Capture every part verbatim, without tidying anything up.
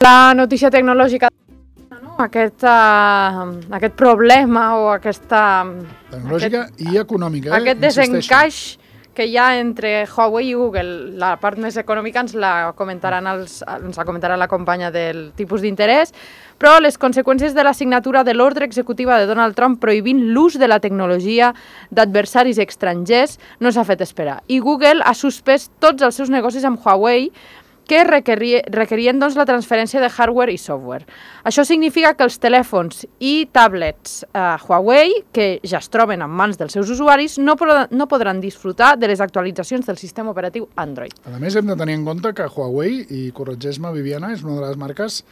La notícia tecnològica, no? aquest, uh, aquest problema o aquesta... Tecnològica aquest, i econòmica, eh? Aquest desencaix que hi ha entre Huawei i Google. La part més econòmica ens la comentaran els, ens la comentarà la companya del tipus d'interès, però les conseqüències de la signatura de l'ordre executiva de Donald Trump prohibint l'ús de la tecnologia d'adversaris estrangers no s'ha fet esperar. I Google ha suspès tots els seus negocis amb Huawei que requerien doncs, la transferència de hardware i software. Això significa que els telèfons i tablets eh, Huawei, que ja es troben en mans dels seus usuaris, no, no podran disfrutar de les actualitzacions del sistema operatiu Android. A més, hem de tenir en compte que Huawei, i corregeix-me, Viviana, és una de les marques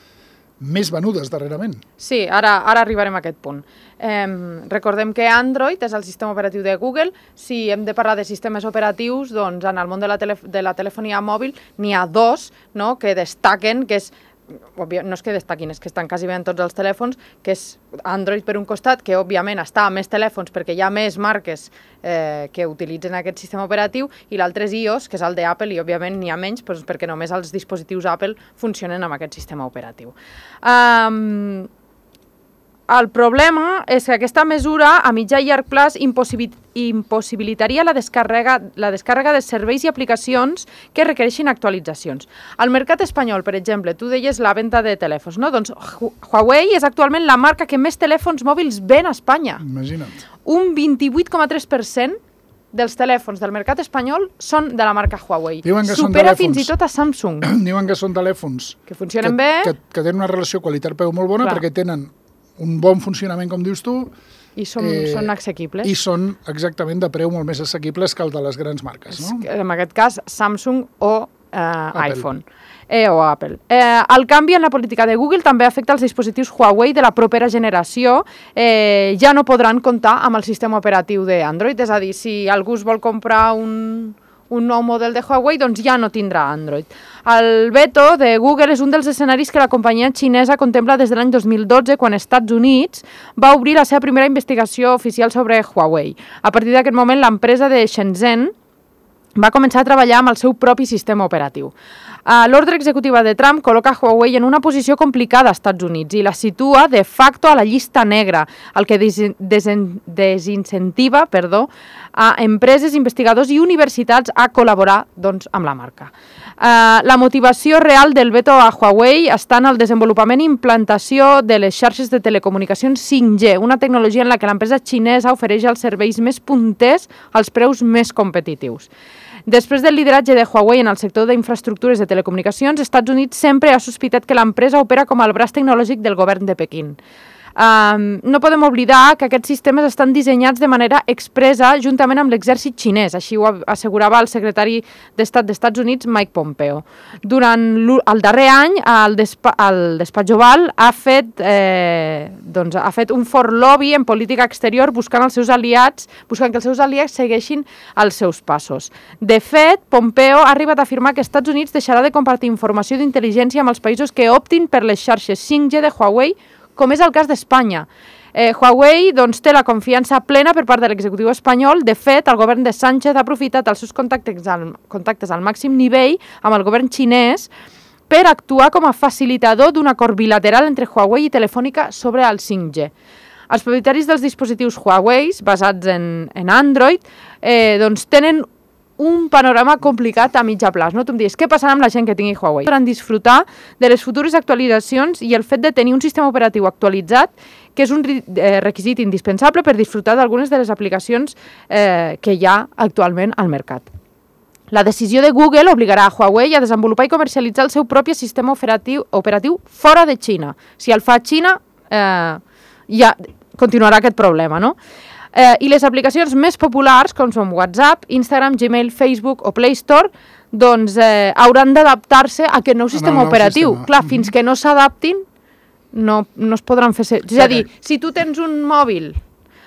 més venudes darrerament. Sí, ara, ara arribarem a aquest punt. Eh, recordem que Android és el sistema operatiu de Google. Si hem de parlar de sistemes operatius, doncs en el món de la, tele, de la telefonia mòbil n'hi ha dos, no?, que destaquen, que és, no és que destaquin, és que estan quasi bé en tots els telèfons, que és Android per un costat, que òbviament està a més telèfons perquè hi ha més marques eh, que utilitzen aquest sistema operatiu, i l'altre és iOS, que és el d'Apple, i òbviament n'hi ha menys doncs, perquè només els dispositius Apple funcionen amb aquest sistema operatiu. Um, el problema és que aquesta mesura a mitjà i llarg plaç impossibil impossibilitaria la descàrrega, la descàrrega de serveis i aplicacions que requereixin actualitzacions. Al mercat espanyol, per exemple, tu deies la venda de telèfons, no? Doncs Huawei és actualment la marca que més telèfons mòbils ven a Espanya. Imagina't. Un vint-i-vuit coma tres per cent dels telèfons del mercat espanyol són de la marca Huawei. Supera fins i tot a Samsung. Diuen que són telèfons que funcionen que, bé, que, que tenen una relació qualitat-preu molt bona. Clar. Perquè tenen un bon funcionament, com dius tu, i són, eh, són assequibles. I són exactament de preu molt més assequibles que el de les grans marques, no? En aquest cas, Samsung o eh, iPhone. Eh, o Apple. Eh, el canvi en la política de Google també afecta els dispositius Huawei de la propera generació. Eh, ja no podran comptar amb el sistema operatiu d'Android, és a dir, si algú es vol comprar un... un nou model de Huawei, doncs ja no tindrà Android. El veto de Google és un dels escenaris que la companyia xinesa contempla des de l'any dos mil dotze, quan Estats Units va obrir la seva primera investigació oficial sobre Huawei. A partir d'aquest moment, l'empresa de Shenzhen va començar a treballar amb el seu propi sistema operatiu. L'ordre executiva de Trump col·loca Huawei en una posició complicada als Estats Units i la situa de facto a la llista negra, el que desincentiva perdó, a empreses, investigadors i universitats a col·laborar doncs, amb la marca. Uh, la motivació real del veto a Huawei està en el desenvolupament i implantació de les xarxes de telecomunicacions cinc G, una tecnologia en la que l'empresa xinesa ofereix els serveis més punters als preus més competitius. Després del lideratge de Huawei en el sector d'infraestructures de telecomunicacions, Estats Units sempre ha sospitat que l'empresa opera com el braç tecnològic del govern de Pequín. Um, no podem oblidar que aquests sistemes estan dissenyats de manera expressa juntament amb l'exèrcit xinès, així ho assegurava el secretari d'Estat d'Estats Units, Mike Pompeo. Durant el darrer any, el, despa el despatx Oval ha fet, eh, doncs, ha fet un fort lobby en política exterior buscant els seus aliats, buscant que els seus aliats segueixin els seus passos. De fet, Pompeo ha arribat a afirmar que Estats Units deixarà de compartir informació d'intel·ligència amb els països que optin per les xarxes cinc G de Huawei, com és el cas d'Espanya. Eh, Huawei doncs, té la confiança plena per part de l'executiu espanyol. De fet, el govern de Sánchez ha aprofitat els seus contactes al, contactes al màxim nivell amb el govern xinès per actuar com a facilitador d'un acord bilateral entre Huawei i Telefònica sobre el cinc G. Els propietaris dels dispositius Huawei, basats en, en Android, eh, doncs, tenen un panorama complicat a mitjà plaç. No? Tu em dius, què passarà amb la gent que tingui Huawei? Podran disfrutar de les futures actualitzacions i el fet de tenir un sistema operatiu actualitzat, que és un requisit indispensable per disfrutar d'algunes de les aplicacions eh, que hi ha actualment al mercat. La decisió de Google obligarà a Huawei a desenvolupar i comercialitzar el seu propi sistema operatiu, operatiu fora de Xina. Si el fa Xina, eh, ja continuarà aquest problema, no? Eh, I les aplicacions més populars, com són WhatsApp, Instagram, Gmail, Facebook o Play Store, doncs eh, hauran d'adaptar-se a aquest nou sistema nou operatiu. Sistema. Clar, mm-hmm. Fins que no s'adaptin, no, no es podran fer... És a dir, si tu tens un mòbil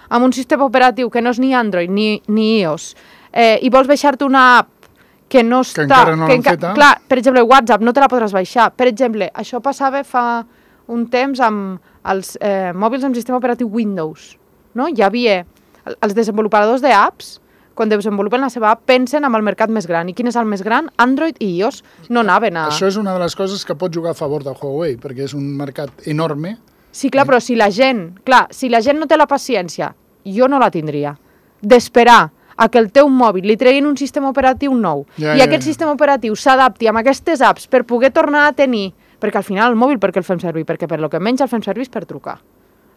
amb un sistema operatiu que no és ni Android ni, ni iOS eh, i vols baixar-te una app que no està... Que encara no l'han feta. Clar, per exemple, WhatsApp no te la podràs baixar. Per exemple, això passava fa un temps amb els eh, mòbils amb sistema operatiu Windows. No? Hi havia els desenvolupadors d'apps quan desenvolupen la seva app, pensen amb el mercat més gran. I quin és el més gran? Android i iOS. No anaven a... Això és una de les coses que pot jugar a favor de Huawei, perquè és un mercat enorme. Sí, clar, però si la gent... Clar, si la gent no té la paciència, jo no la tindria, d'esperar a que el teu mòbil li treguin un sistema operatiu nou ja, i ja, aquest ja. sistema operatiu s'adapti amb aquestes apps per poder tornar a tenir... Perquè al final el mòbil per què el fem servir? Perquè per lo que menys el fem servir és per trucar.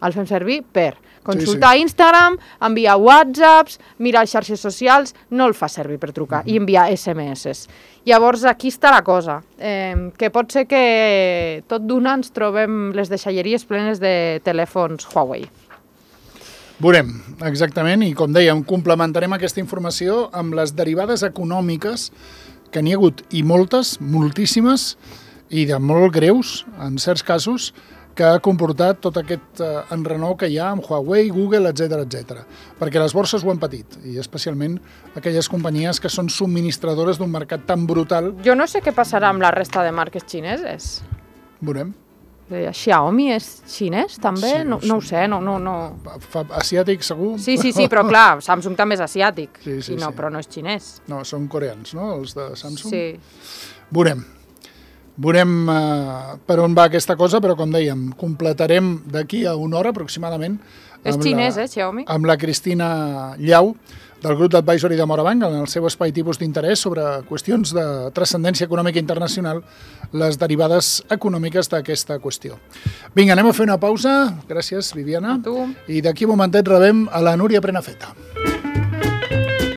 El fem servir per consultar sí, sí. Instagram, enviar WhatsApps, mirar xarxes socials, no el fa servir per trucar mm-hmm. i enviar S M S. Llavors aquí està la cosa, eh, que pot ser que tot d'una ens trobem les deixalleries plenes de telèfons Huawei. Veurem, exactament, i com dèiem, complementarem aquesta informació amb les derivades econòmiques que n'hi ha hagut, i moltes, moltíssimes, i de molt greus, en certs casos, que ha comportat tot aquest eh, enrenou que hi ha amb Huawei, Google, etcètera, etcètera. Perquè les borses ho han patit, i especialment aquelles companyies que són subministradores d'un mercat tan brutal. Jo no sé què passarà amb la resta de marques xineses. Veurem. Xiaomi és xinès, també? Sí, no, sí. no ho sé, no... no, no. Fa, asiàtic, segur? Sí, sí, sí, però clar, Samsung també és asiàtic, sí, sí, i no, sí. però no és xinès. No, són coreans, no?, els de Samsung? Sí. Veurem. Veurem uh, per on va aquesta cosa, però com dèiem, completarem d'aquí a una hora aproximadament és xinès, eh, Xiaomi? Amb la Cristina Llau, del grup d'advisory de Morabanc, en el seu espai tipus d'interès sobre qüestions de transcendència econòmica internacional, les derivades econòmiques d'aquesta qüestió. Vinga, anem a fer una pausa. Gràcies, Viviana. A tu. I d'aquí un momentet rebem a la Núria Prenafeta.